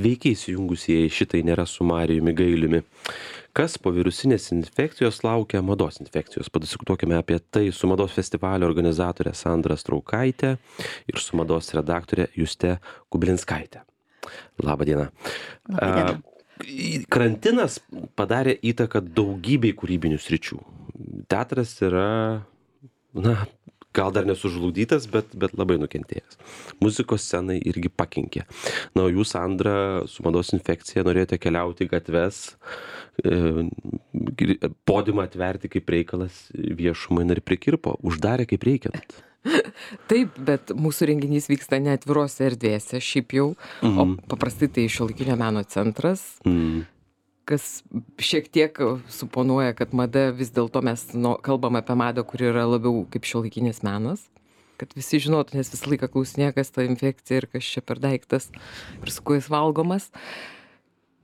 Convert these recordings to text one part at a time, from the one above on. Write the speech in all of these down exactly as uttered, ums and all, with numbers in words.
Sveiki įsijungusieji šitai nėra su Marijumi Gailiumi. Kas po virusinės infekcijos laukia mados infekcijos? Padiskutuokime apie tai su mados festivalio organizatorė Sandra Straukaitė ir su mados redaktorė Juste Kublinskaitė. Labą dieną. Labą dieną. Karantinas padarė įtaką daugybei kūrybinių sričių. Teatras yra, na, gal dar nesužlugdytas, bet, bet labai nukentėjęs. Muzikos scenai irgi pakenkė. Na, o jūs, Sandra, su mados infekcija norėjote keliauti į gatves, e, podiumą atverti kaip reikalas viešumai ir prikirpo. Uždarė kaip reikiant. Taip, bet mūsų renginys vyksta ne atvirose erdvėse, šiaip jau, mm. o paprastai tai Šiuolaikinio meno centras, mm. kas šiek tiek suponuoja, kad mada vis dėlto mes nu, kalbam apie madą, kuri yra labiau kaip šiuolaikinis menas, kad visi žinotų, nes visą laiką klausinėja, kas ta infekcija ir kas čia per daiktas ir su kuo jis valgomas.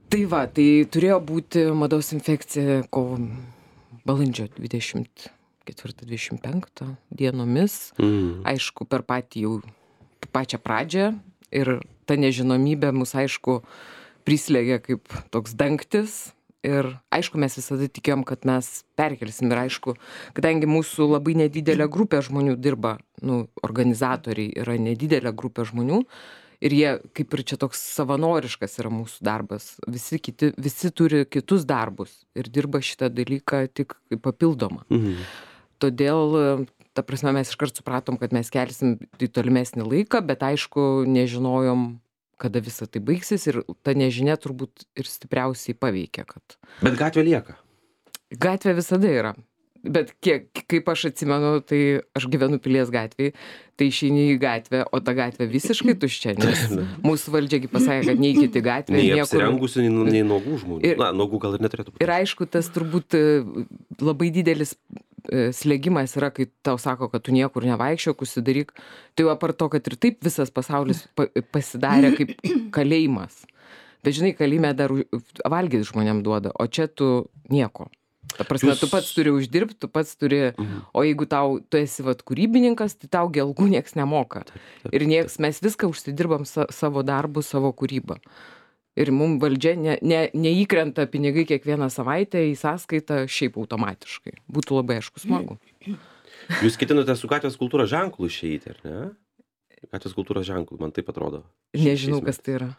Tai va, tai turėjo būti mados infekcija kovo balandžio dvidešimt ketvirtą dvidešimt penktą dienomis, mm. aišku, per patį jau pačią pradžią ir ta nežinomybė mus, aišku, prislėgė kaip toks dangtis ir, aišku, mes visada tikėjom, kad mes perkelsim ir, aišku, kadangi mūsų labai nedidelė grupė žmonių dirba, nu, organizatoriai yra nedidelė grupė žmonių ir jie, kaip ir čia toks savanoriškas yra mūsų darbas, visi, kiti, visi turi kitus darbus ir dirba šitą dalyką tik papildomą. Mm. Todėl, ta prasme, mes iškart supratom, kad mes kelsim į tolimesnį laiką, bet aišku, nežinojom, kada visą tai baigsis ir ta nežinia turbūt ir stipriausiai paveikia. Kad... Bet gatvė lieka. Gatvė visada yra. Bet kiek, kaip aš atsimenu, tai aš gyvenu Pilies gatvėje, tai išeini į gatvę, o ta gatvė visiškai tuščia, nes mūsų valdžiagi pasakė, kad neikit į gatvę. Nei niekur... apsirengusių, nei, nei nuogų žmonių. Ir, Na, nuogų gal ir neturėtų būti. Ir aišku, tas turbūt labai didelis slėgimas yra, kai tau sako, kad tu niekur nevaikščiok, užsidaryk. Tai jau apart to, kad ir taip visas pasaulis pasidarė kaip kalėjimas. Bet žinai, kalėjime dar valgyti žmonėm duoda, o čia tu nieko. Ta prasme, Jūs... tu pats turi uždirbti, tu pats turi, mhm. o jeigu tau, tu esi vat kūrybininkas, tai tau gi algų nieks nemoka. Taip, taip, ir nieks, mes viską užsidirbam sa, savo darbų, savo kūrybą. Ir mums valdžia ne, ne, neįkrenta pinigai kiekvieną savaitę į sąskaitą šiaip automatiškai. Būtų labai aišku smagu. Jūs ketinote su gatvės kultūros ženklu išeiti, ar ne? Gatvės kultūros ženklu, man taip atrodo. Nežinau, kas tai yra.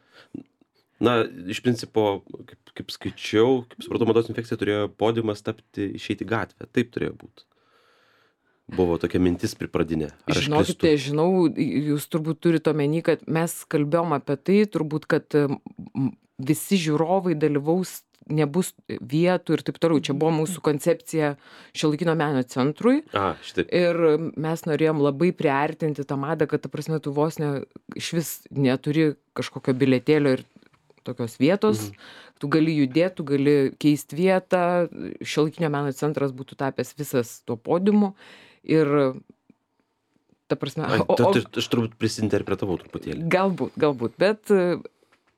Na, iš principo, kaip, kaip skaičiau, kaip supratau, mados infekcija turėjo podiumas tapti, išeiti į gatvę. Taip turėjo būti. Buvo tokia mintis pripradinė. Žinokite, žinau, jūs turbūt turite omeny, kad mes kalbėjom apie tai, turbūt, kad visi žiūrovai dalyvaus, nebus vietų ir taip toliau. Čia buvo mūsų koncepcija Šiuolaikinio meno centrui. A, šitaip. Ir mes norėjom labai priartinti tą madą, kad, ta prasme, tu vos ne, iš vis neturi kažkokio bilietėlio ir tokios vietos. Mhm. Tu gali judėti, tu gali keisti vietą. Šiuolaikinio meno centras būtų tapęs visas tuo podiumu. Ir, ta prasme... Ai, o, o, aš turbūt prisinterpretavau truputėlį. Galbūt, galbūt, bet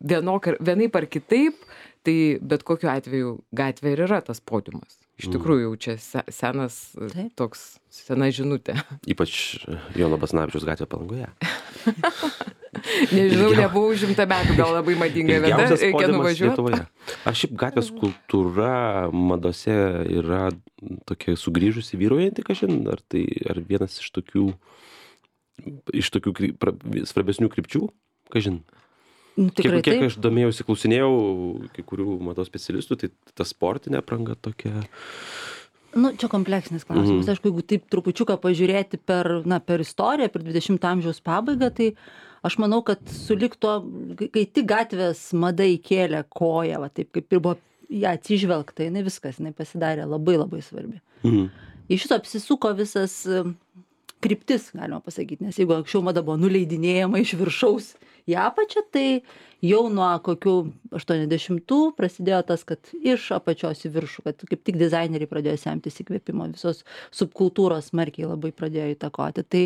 vienok, vienaip ar kitaip, tai bet kokiu atveju gatvė ir yra tas podiumas. Iš tikrųjų, jau čia senas, Taip. toks, sena žinutė. Ypač Jono Basanavičiaus gatvė Palangoje. Nežinau, nebuvau šimtą metų, gal labai madinga vieta, reikia nuvažiuoti. Ar šiaip gatvės kultūra madose yra tokia sugrįžusi vyruojanti, kažin, ar tai ar vienas iš tokių, iš tokių kry, pra, svarbesnių krypčių, kažin? Nu, tikrai kiek, kiek taip. aš domėjausi, klausinėjau kai kurių mados specialistų, tai ta sportinė apranga tokia... Nu, čia kompleksinis klausimas. Mm. Aišku, jeigu taip trupučiuką pažiūrėti per, na, per istoriją, per dvidešimto amžiaus pabaigą, tai aš manau, kad sulig to, kai tik gatvės mada įkėlė koją, va, taip kaip ir buvo ją atsižvelgta, jinai viskas, jinai pasidarė labai labai svarbi. Mm. Iš šito apsisuko visas kryptis, galima pasakyti, nes jeigu anksčiau mada buvo nuleidinėjama iš viršaus į apačią, tai jau nuo kokių aštuoniasdešimtų prasidėjo tas, kad iš apačios į viršų, kad kaip tik dizaineriai pradėjo semtis įkvėpimo, visos subkultūros smarkiai labai pradėjo įtakoti. Tai,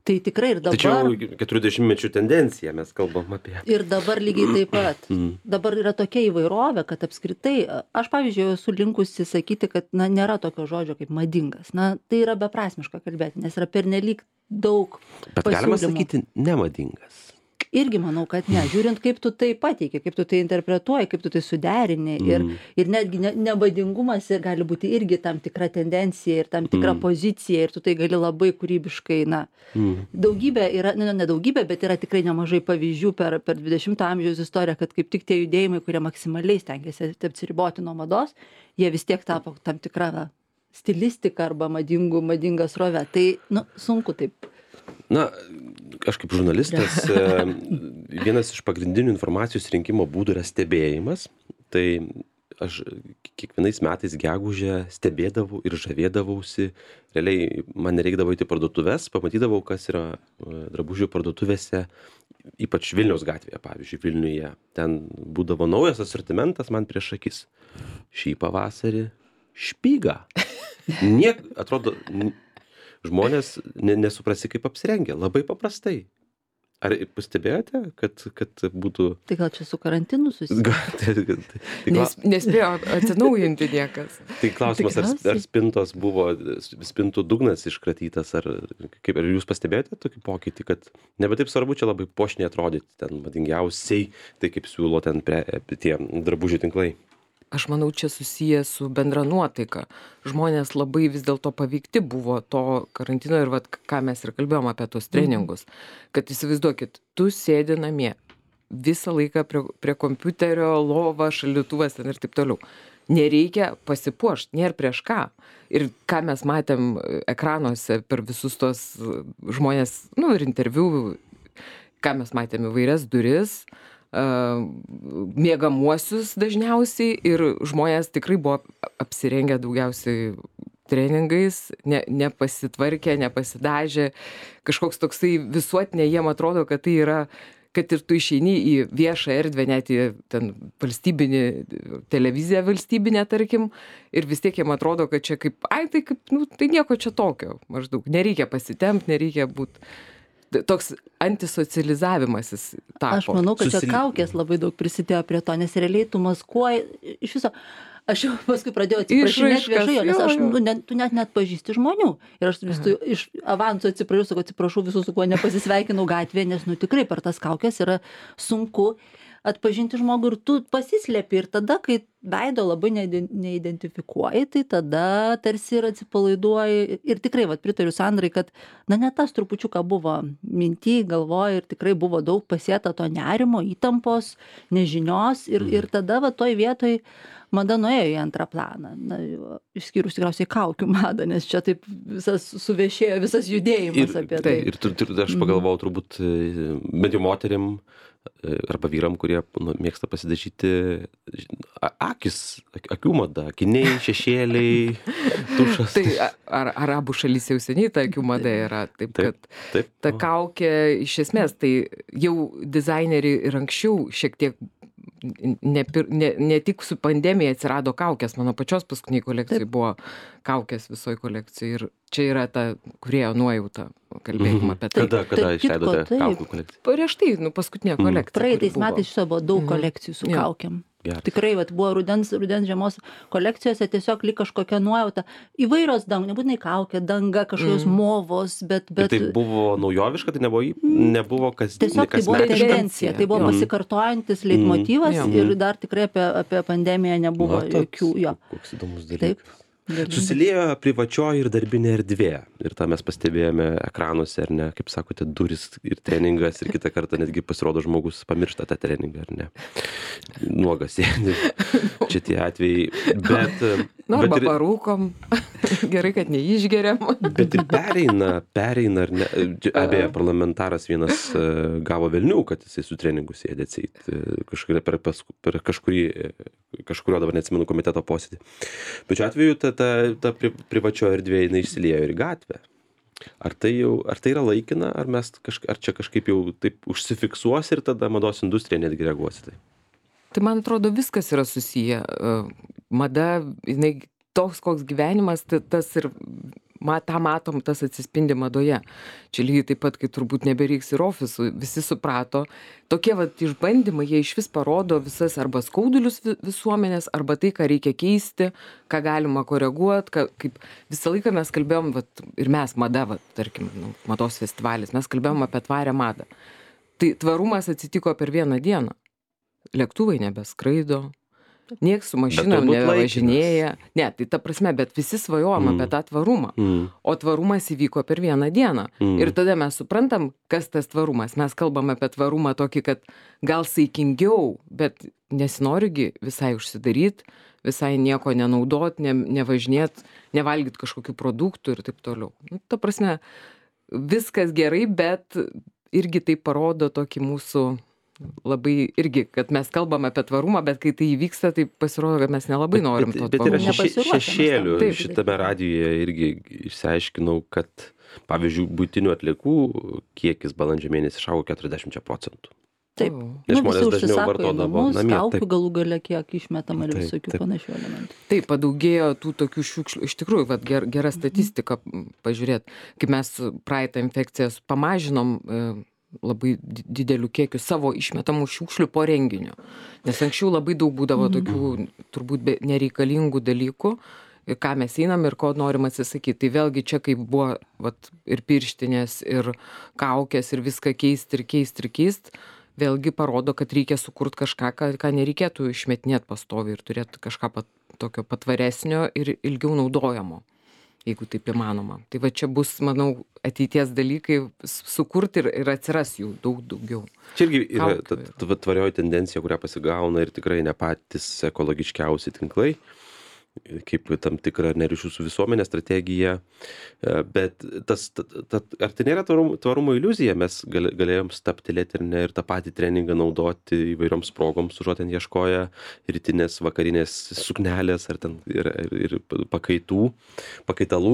tai tikrai ir dabar... Tačiau keturiasdešimtmečių tendencija mes kalbam apie... Ir dabar lygiai taip pat. Dabar yra tokia įvairovė, kad apskritai, aš pavyzdžiui, esu linkusi sakyti, kad na, nėra tokio žodžio kaip madingas. Na, tai yra beprasmiška kalbėti, nes yra pernelyg daug Bet pasiūlymų. Galima sakyti nemadingas. irgi manau, kad ne. Žiūrint, kaip tu tai pateiki, kaip tu tai interpretuoji, kaip tu tai suderini. Ir, Mm. ir netgi ne, nevadingumas gali būti irgi tam tikra tendencija ir tam tikra Mm. pozicija. Ir tu tai gali labai kūrybiškai, na, Mm. daugybė yra, ne, ne daugybė, bet yra tikrai nemažai pavyzdžių per, per dvidešimto amžiaus istoriją, kad kaip tik tie judėjimai, kurie maksimaliai stengiasi apsiriboti nuo mados, jie vis tiek tapo tam tikrą na, stilistiką arba madingų, madingą srovę. Tai, nu, sunku taip. Na, aš kaip žurnalistas, e, vienas iš pagrindinių informacijos rinkimo būdų yra stebėjimas. Tai aš kiekvienais metais gegužę stebėdavau ir žavėdavausi. Realiai man nereikdavo įti parduotuves, pamatydavau, kas yra e, drabužių parduotuvėse, ypač Vilniaus gatvėje, pavyzdžiui, Vilniuje. Ten būdavo naujas asortimentas man prieš akis. Šį pavasarį špyga. Niek, atrodo, n- žmonės ne, nesuprasi, kaip apsirengia. Labai paprastai. Ar pastebėjote, kad, kad būtų... Tai gal čia su karantinu susiję? Ga- tai, tai, tai, Nes, nespėjo atsinaujinti niekas. tai klausimas, ar, Tikriausiai. ar spintos buvo, spintų dugnas iškratytas, ar, kaip, ar jūs pastebėjote tokį pokytį, kad nebe taip svarbu čia labai puošniai atrodyti, ten madingiausiai, tai kaip siūlo ten pre, tie drabužių tinklai. Aš manau, čia susiję su bendra nuotaika. Žmonės labai vis dėlto paveikti buvo to karantino ir vat, ką mes ir kalbėjom apie tos treningus. Kad įsivaizduokit, tu sėdi namie visą laiką prie, prie kompiuterio, lova, šaldytuvas ten ir taip toliau. Nereikia pasipuošti, nėra prieš ką. Ir ką mes matėm ekranuose per visus tos žmonės, nu ir interviu, ką mes matėm įvairias duris, miegamuosius dažniausiai ir žmonės tikrai buvo apsirengę daugiausiai treningais, ne, nepasitvarkė, nepasidažė, kažkoks toksai visuotinė, jiem atrodo, kad tai yra, kad ir tu išeini į viešą erdvę, net į ten valstybinį, televiziją valstybinę, tarkim, ir vis tiek jiem atrodo, kad čia kaip, ai, tai kaip, nu, tai nieko čia tokio, maždaug, nereikia pasitempti, nereikia būti. Toks antisocializavimasis tapo. Aš manau, kad čia Susili- kaukės labai daug prisidėjo prie to, nes realiai tu maskuoji iš viso. Aš jau paskui pradėjau atsiprašinėti Išraiškas, viešai, jo, nes jo, aš, jo. nu, ne, tu net net pažįsti žmonių. Ir aš vis tu iš avanso atsiprašau, sakau, atsiprašau visų, su kuo nepasisveikinau gatvėje, nes, nu, tikrai per tas kaukės yra sunku atpažinti žmogų ir tu pasislėpi ir tada, kai veido labai neiden- neidentifikuoji, tai tada tarsi ir atsipalaiduoji. Ir tikrai, vat, pritariu Sandrai, kad, na, ne tas trupučiuką buvo minty, galvoja ir tikrai buvo daug pasėta to nerimo, įtampos, nežinios ir, ir tada, va, toj vietoj mada nuėjo į antrą planą. Na, išskyrus tikriausiai kaukių madą, nes čia taip visas suvešėjo, visas judėjimas apie tai. Ir, ir, ir aš pagalvojau, turbūt, e, bent jau moterim e, arba vyram, kurie nu, mėgsta pasidažyti a- akis, ak- akių mada, akiniai, šešėliai, tušas. Tai a- ar, arabų šalyse jau seniai ta akių mada yra, taip, Taip. kad Taip. ta kaukė iš esmės, tai jau dizaineriai ir anksčiau šiek tiek ne, pir- ne, ne tik su pandemija atsirado kaukės, mano pačios paskutiniai kolekcijai buvo kaukės visoje kolekcijoje ir čia yra ta kūrėjo nuojauta, kalbėkim Mhm. apie tai. Kada, kada Tarp kitko, išleidote taip. kaukų kolekciją? Prieš tai, nu, paskutinė kolekcija. Praeitais kuri buvo. metais iš viso buvo daug Mhm. kolekcijų su Jo. kaukiam. Geras. Tikrai, vat, buvo rudens, rudens žiemos kolekcijose tiesiog lyg kažkokia nuojauta. Įvairios dangos, nebūtinai kaukė, danga, kažkokios Mm. movos, bet... Ir bet tai buvo naujoviška, tai nebuvo, į- nebuvo kas, Tiesiog tai buvo kasmetiška? tendencija, tai buvo Jo. pasikartojantis leitmotyvas Jo. ir dar tikrai apie, apie pandemiją nebuvo Na, toks- jokių jo. Koks įdomus dalykas. Taip. Galingas. Susiliejo privačioji ir darbinė erdvė. Ir tą mes pastebėjome ekranuose, ar ne, kaip sakote, duris ir treningas, ir kitą kartą netgi pasirodo žmogus pamiršta tą treningą, ar ne. Nuogas sėdi. Čia tie atvejai. Bet, Nu, bet, arba ir, parūkom. Gerai, kad neišgeriam. bet ir pereina, pereina, ar ne. Abeje, parlamentaras vienas e, gavo velnių, kad jisai su treningu sėdė atseit kažkuria per, pasku- per kažkurį, e, kažkurio dabar neatsimenu komiteto posėdį. Bet šiuo atveju ta, ta, ta pri, privačio erdvė jinai išsiliejo ir į gatvę. Ar tai, jau, ar tai yra laikina, ar, mes kažk, ar čia kažkaip jau taip užsifiksuos ir tada mados industrija netgi reaguos į tai? Tai man atrodo, viskas yra susiję. E, Mada, jinai toks, koks gyvenimas, tai tas ir ma, tą matom, tas atsispindi madoje. Čia lygiai taip pat, kai turbūt nebereiks ir ofisų, visi suprato. Tokie vat išbandymai, jie iš vis parodo visas arba skaudulius vi- visuomenės, arba tai, ką reikia keisti, ką galima koreguoti, ką, kaip visą laiką mes kalbėjom, vat, ir mes, mada, vat, tarkim, nu, mados festivalis, mes kalbėjom apie tvarę madą. Tai tvarumas atsitiko per vieną dieną. Lėktuvai nebeskraido, nieks su mašinom nevažinėja. Ne, tai ta prasme, bet visi svajojam mm. apie tą tvarumą. Mm. O tvarumas įvyko per vieną dieną. Mm. Ir tada mes suprantam, kas tas tvarumas. Mes kalbam apie tvarumą tokį, kad gal saikingiau, bet nesinorigi visai užsidaryt, visai nieko nenaudot, ne, nevažinėt, nevalgyt kažkokių produktų ir taip toliau. Nu, ta prasme, viskas gerai, bet irgi tai parodo tokį mūsų labai irgi, kad mes kalbam apie tvarumą, bet kai tai įvyksta, tai pasirodo, kad mes nelabai bet, norim to bet, bet tvarumo. Bet yra šešėlių. Taip, šitame radijoje irgi išsiaiškinau, kad, pavyzdžiui, buitinių atliekų kiekis balandžio mėnesį išaugo keturiasdešimt procentų. Taip. Nes nu, žmonės dažniau vartodavo namie. Kaukių galų gale kiek išmetama ir visokių taip. Panašių elementų. Taip, padaugėjo tų tokių šiukšlių. Iš tikrųjų, vat, ger, gera statistika pažiūrėt, kaip mes praeitą infekciją pamažinom e, labai dideliu kiekiu savo išmetamų šiukšlių po renginio. Nes anksčiau labai daug būdavo tokių turbūt be, nereikalingų dalykų, ką mes einam ir ko norim atsisakyti. Tai vėlgi čia kaip buvo vat, ir pirštinės, ir kaukės, ir viską keisti, ir keisti, ir keisti, vėlgi parodo, kad reikia sukurti kažką, ką, ką nereikėtų išmetinėti pastoviai ir turėti kažką pat, tokio patvaresnio ir ilgiau naudojamo, jeigu taip įmanoma. Tai va čia bus, manau, ateities dalykai sukurti ir, ir atsiras jų daug daugiau. Čia irgi yra ta, ta tvarioji tendencija, kurią pasigauna ir tikrai ne patys ekologiškiausi tinklai, kaip tam tikra neryšių su visuomenė strategija, bet tas, ta, ta, ar tai nėra tvarumo, tvarumo iliuzija, mes gal, galėjom staptelėti ir, ne, ir tą patį treningą naudoti įvairioms progoms, užuot ten ieškoję rytinės, vakarinės suknelės ar ten ir, ir, ir pakaitų, pakaitalų.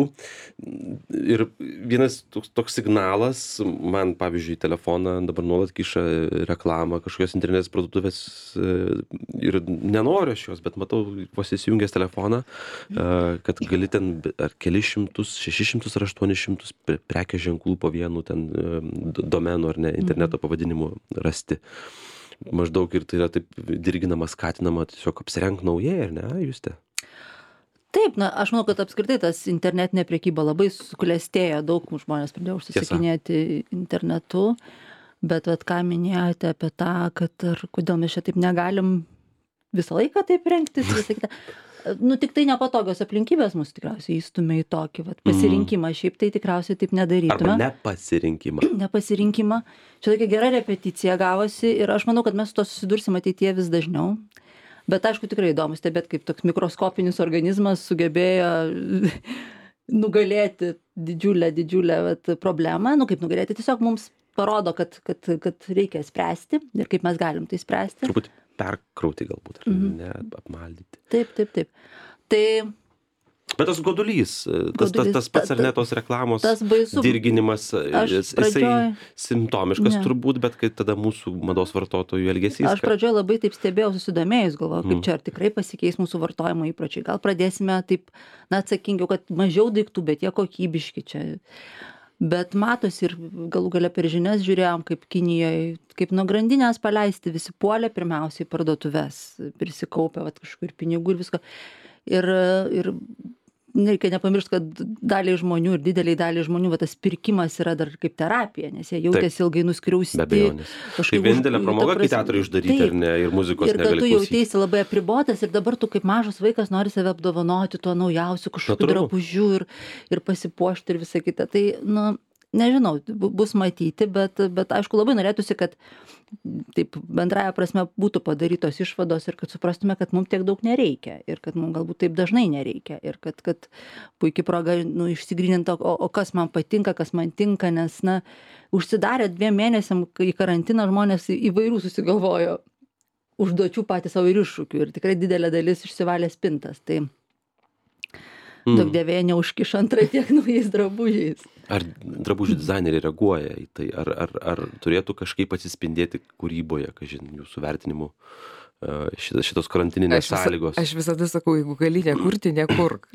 Ir vienas toks, toks signalas, man pavyzdžiui telefoną dabar nuolat kiša reklamą kažkokios internetinės parduotuvės ir nenoriu aš jos, bet matau vos įsijungęs telefoną, kad gali ten ar kelis šimtus, šešis šimtus ar aštuonis šimtus prekės ženklų po vienu ten domenų ar ne interneto pavadinimu rasti. Maždaug ir tai yra taip dirginama, skatinama tiesiog apsirenk naujai, ar ne, Juste? Taip, na, aš manau, kad apskritai tas internetinė prekyba labai suklestėjo, daug žmonės pradėjo užsisakinėti internetu, bet vat, ką minėjote apie tą, kad ar kodėl mes čia taip negalim visą laiką taip rengtis, visą kitą. Nu, tik tai nepatogios aplinkybės mus tikriausiai įstumia į tokį vat, pasirinkimą, šiaip tai tikriausiai taip nedarytume. Arba nepasirinkimą. Nepasirinkimą. Čia tokia gera repeticija gavosi ir aš manau, kad mes su to susidursim ateityje vis dažniau. Bet aišku, tikrai įdomu stebėti, kaip toks mikroskopinis organizmas sugebėjo nugalėti didžiulę, didžiulę vat, problemą. Nu, kaip nugalėti, tiesiog mums parodo, kad, kad, kad reikia spręsti ir kaip mes galim tai spręsti. Truputį perkrauti galbūt, ar mm-hmm. ne, apmaldyti. Taip, taip, taip. Tai... Bet tas godulys, tas, tas, tas pats ar ne tos reklamos baisu, dirginimas, jis, pradžioj... jisai simptomiškas ne. Turbūt, bet kai tada mūsų mados vartotojų elgesys. Aš pradžioj labai taip stebėjau, susidomėjus, galvoju, kaip mm. čia ar tikrai pasikeis mūsų vartojimo įpročiai. Gal pradėsime taip, na, atsakingiau, kad mažiau daiktų, bet jie kokybiški čia. Bet matosi ir galų gale per žinias žiūrėjom, kaip Kinijoje, kaip nuo grandinės paleisti, visi puolė pirmiausiai parduotuves, prisikaupė vat, kažkur pinigų ir visko. Ir, ir nereikia nepamiršti, kad daliai žmonių ir dideliai daliai žmonių va, tas pirkimas yra dar kaip terapija, nes jie jautėsi ilgai nuskriausti. Be abejonės. Tai vienintelė pramoga, kai teatrai uždaryti ir, ne, ir muzikos ir negali klausyti. Ir kad tu jautėsi labai apribotas ir dabar tu kaip mažas vaikas nori save apdovanoti tuo naujausiu kažkokiu drabužiu ir, ir pasipuošti ir visą kitą. Tai, nu, nežinau, bus matyti, bet, bet aišku labai norėtųsi, kad taip bendraja prasme būtų padarytos išvados ir kad suprastume, kad mums tiek daug nereikia ir kad mums galbūt taip dažnai nereikia ir kad, kad puikiai proga nu, išsigryninti, o, o kas man patinka, kas man tinka, nes na, užsidarę dviem mėnesiam į karantiną žmonės įvairių susigalvojo užduočių patys savo ir iššūkių ir tikrai didelė dalis išsivalė spintas. Tai mm. daug dievėje neužkiš antrą tiek naujais drabužiais. Ar drabužių dizaineriai reaguoja į tai? Ar, ar, ar turėtų kažkaip atsispindėti kūryboje, kažin, jūsų vertinimu šitos, šitos karantininės aš visa, sąlygos? Aš visada sakau, jeigu gali nekurti, nekurk.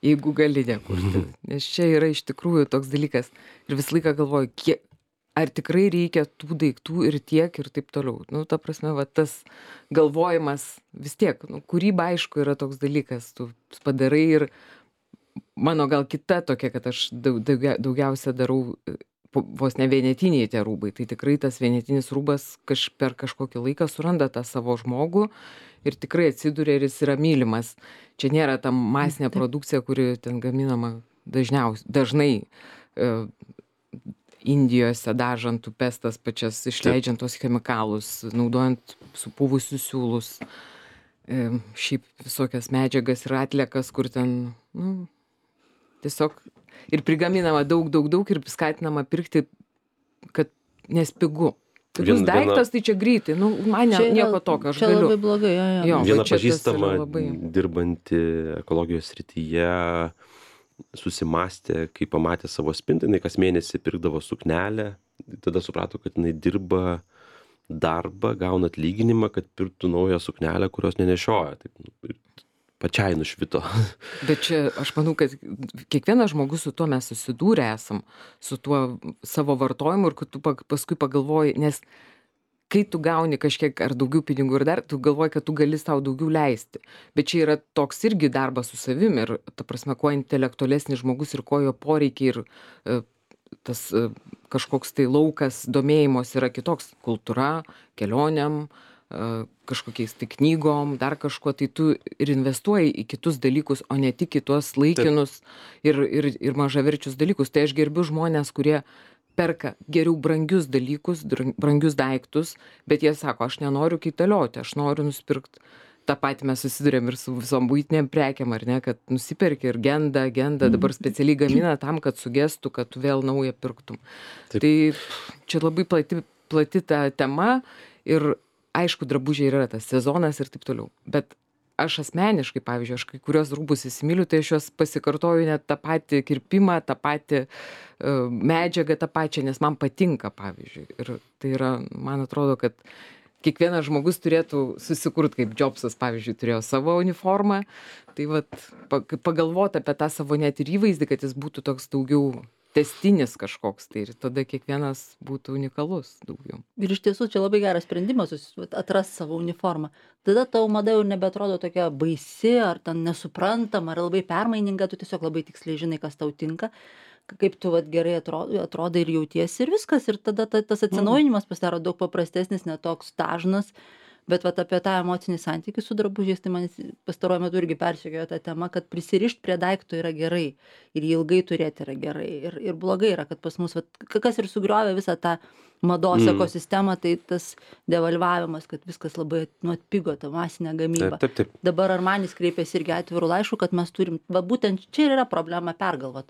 Jeigu gali nekurti. Nes čia yra iš tikrųjų toks dalykas. Ir visą laiką galvoju, kiek, ar tikrai reikia tų daiktų ir tiek ir taip toliau. Nu, ta prasme, va, tas galvojimas vis tiek, nu, kūryba aišku yra toks dalykas, tu padarai ir mano gal kita tokia, kad aš daugia, daugiausia darau po- vos ne vienetiniai tie rūbai. Tai tikrai tas vienetinis rūbas kaž, per kažkokį laiką suranda tą savo žmogų ir tikrai atsiduria ir jis yra mylimas. Čia nėra ta masinė produkcija, kuri ten gaminama dažniausiai, dažnai e, Indijose dažant upes tas pačias, išleidžiant tos chemikalus, naudojant supūvusius siūlus, e, šiaip visokias medžiagas ir atliekas, kur ten, nu, tiesiog ir prigaminama daug, daug, daug ir skatinama pirkti, kad nes pigu. Pigus Vien- daiktas, tai čia greitai, nu, man ne, Čia yra- nieko tokio, aš čia galiu. labai blogai, jo, jo. Jo. Viena va čia tas pažįstama yra labai- dirbanti ekologijos srityje susimastė, kai pamatė savo spintą, jinai kas mėnesį pirkdavo suknelę, tada suprato, kad jinai dirba darbą, gauna atlyginimą, kad pirktų naują suknelę, kurios nenešioja. Taip, nu, ir pačiai nušvito. Bet čia aš manau, kad kiekvienas žmogus su tuo mes susidūrę esam, su tuo savo vartojimu ir kad tu pag- paskui pagalvoji, nes kai tu gauni kažkiek ar daugiau pinigų ir dar, tu galvoji, kad tu gali sau daugiau leisti. Bet čia yra toks irgi darbas su savim ir, ta prasme, kuo intelektualesnis žmogus ir ko jo poreikiai ir e, tas e, kažkoks tai laukas domėjimos yra kitoks. Kultūra, kelioniam, e, kažkokiais tai knygom, dar kažkuo, tai tu ir investuoji į kitus dalykus, o ne tik į tuos laikinus ir, ir, ir mažaverčius dalykus. Tai aš gerbiu žmonės, kurie perka geriau brangius dalykus, dra- brangius daiktus, bet jie sako, aš nenoriu kaitalioti, aš noriu nusipirkti. Ta pati mes susidurėm ir su visom buitiniam prekiam, ar ne, kad nusiperki ir genda, genda, dabar specialiai gamina tam, kad sugestų, kad tu vėl naują pirktum. Taip. Tai pff, čia labai plati, plati ta tema ir aišku, drabužiai yra tas sezonas ir taip toliau. Bet aš asmeniškai, pavyzdžiui, aš kai kurios rūbus įsimyliu, tai aš juos pasikartoju net tą patį kirpimą, tą patį uh, medžiagą, tą pačią, nes man patinka, pavyzdžiui. Ir tai yra, man atrodo, kad kiekvienas žmogus turėtų susikurti, kaip Jobsas, pavyzdžiui, turėjo savo uniformą. Tai vat, pa- pagalvoti apie tą savo net ir įvaizdį, kad jis būtų toks daugiau tęstinis kažkoks, tai ir tada kiekvienas būtų unikalus daugiau. Ir iš tiesų čia labai geras sprendimas susi- vat atrast savo uniformą. Tada tau mada jau nebeatrodo tokia baisi, ar ten nesuprantama, ar labai permaininga, tu tiesiog labai tiksliai žinai, kas tau tinka, k- kaip tu vat gerai atrodai, atrodai ir jautiesi ir viskas. Ir tada ta, tas atsinaujinimas pasidaro daug paprastesnis, netoks dažnas. Bet vat apie tą emocinį santykį su drabužiais, tai man pastaruoju metu irgi persekiojo tą temą, kad prisirišti prie daikto yra gerai ir jį ilgai turėti yra gerai. Ir, ir blogai yra, kad pas mus, vat, k- kas ir sugriovė visą tą mados Mm. ekosistemą, tai tas devalvavimas, kad viskas labai nu, atpigo, ta masinė gamyba. Taip, taip. Dabar Armanis kreipėsi irgi atvirų laiškų, kad mes turim, va būtent čia ir yra problema pergalvot.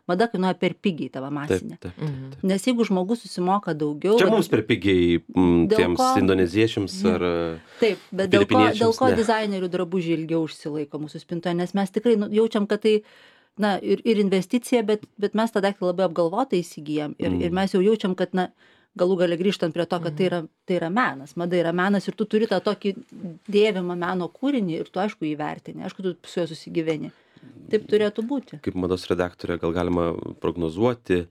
Mada kainuoja per pigiai tavo Taip, masinė. taip, Mhm. taip. Nes jeigu žmogus susimoka daugiau... Čia vat- mums per pigiai m, Dėl tiems ko- indoneziečiams Jo. ar... Taip, bet dėl ko, Filipiniečiams dėl ko ne. dizainerių drabužiai ilgiau užsilaiko mūsų spintoje, nes mes tikrai nu, jaučiam, kad tai, na, ir, ir investicija, bet, bet mes tą daiktą labai apgalvotai įsigijam ir, Mm. ir mes jau jaučiam, kad, na, galų gali grįžtant prie to, kad tai yra, tai yra menas, mada yra menas ir tu turi tą tokį dėvimą meno kūrinį ir tu, aišku, įvertini, aišku, tu su juo susigyveni. Taip turėtų būti. Kaip mados redaktorė gal galima prognozuoti,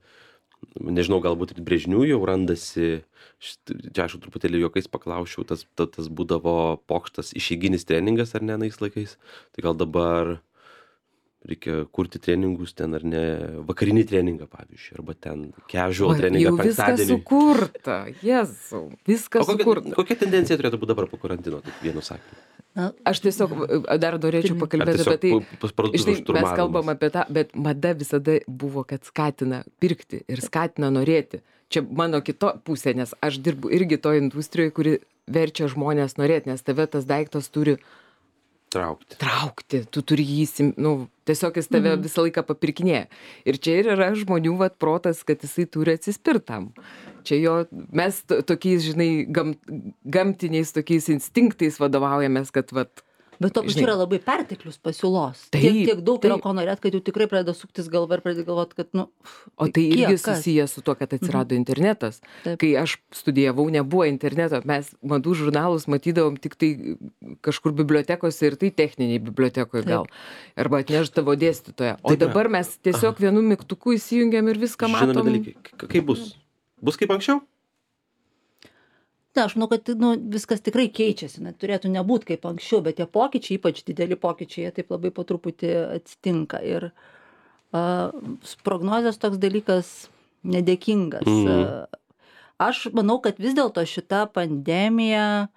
nežinau, galbūt ir brėžinių jau randasi, šit- čia aš jau truputėlį juokais paklausčiau, tas, ta- tas būdavo pokštas išeiginis treningas ar ne nais laikais, tai gal dabar reikia kurti treningus ten ar ne, vakarinį treningą pavyzdžiui, arba ten casual Oi, treningą jau viskas penktadienį. sukurta, Jėzau, viskas O kokia, sukurta. kokia tendencija turėtų būti dabar po karantino, taip vienu sakiniu? Na, Aš tiesiog e, dar norėčiau Pirmi- Ar pakalbėti tiesiog apie tai. pu- pas parduotuvių Žinai, mes šturmavimas? kalbam apie tą, bet mada visada buvo, kad skatina pirkti ir skatina norėti. Čia mano kito pusė, nes aš dirbu irgi to industrijoje, kuri verčia žmonės norėti, nes tave tas daiktas turi Traukti. traukti, tu turi jį, įsim- nu, tiesiog jis tave visą laiką papirkinėja. Ir čia ir yra žmonių vat protas, kad jisai turi atsispirtam. Čia jo, mes to- tokiais, žinai, gam, gamtiniais tokiais instinktais vadovaujamės, kad vat, bet to pačiu žinai. yra labai perteklius pasiūlos. Taip, tiek, tiek daug yra taip. ko norėt, kad jau tikrai pradeda suktis galva ir pradeda galvoti, kad, nu... O tai irgi kiek kas? susiję su tuo, kad atsirado internetas. Taip. Kai aš studijavau, nebuvo interneto, mes madų žurnalus matydavom tik tai kažkur bibliotekose ir tai techniniai bibliotekoje gal. Arba atneždavo dėstytoją. O Taip yra. dabar mes tiesiog vienu mygtuku įsijungiam ir viską Žinomi matom. dalykai. K- Kaip bus? Bus kaip anksčiau? Na, aš manau, kad nu, viskas tikrai keičiasi, net turėtų nebūti kaip anksčiau, bet tie pokyčiai, ypač dideli pokyčiai, jie taip labai po truputį atsitinka. Ir uh, prognozės toks dalykas, nedėkingas. Mhm. Aš manau, kad vis dėlto šita pandemija,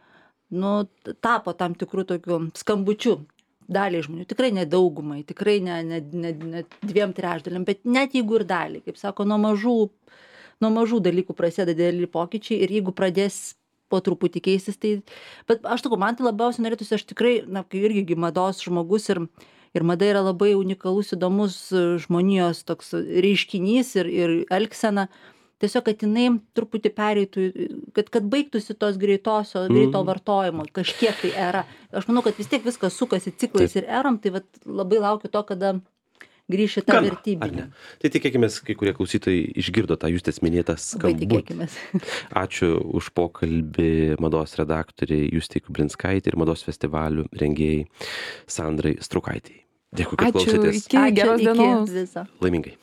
nu, tapo tam tikrų tokių skambučių daliai žmonių, tikrai ne daugumai, tikrai ne, ne, ne, ne dviem trečdaliam, bet net jeigu ir daliai, kaip sako, nuo mažų, nuo mažų dalykų prasideda dideli pokyčiai ir jeigu pradės po truputį keistis, tai, bet aš sakau, man tai labiausiai norėtųsi, aš tikrai, na, kai irgi mados žmogus ir, ir mada yra labai unikalus, įdomus žmonijos toks reiškinys ir, ir elgsena, tiesiog, kad jinai truputį pereitų, kad, kad baigtųsi tos greitosio, greito vartojimo, kažkiek tai era. Aš manau, kad vis tiek viskas sukasi ciklais ir eram, tai vat, labai laukiu to, kada grįši tą vertybinį. Tai tikėkime, kai kurie klausytojai išgirdo tą Justės minėtą skambutį. Tikėkimės. Ačiū už pokalbį mados redaktoriai Justei Kublinskaitei ir mados festivalių rengėjai Sandrai Straukaitei. Dėkui, kad Ačiū, klausėtės. iki geros dienos. Viso. Laimingai.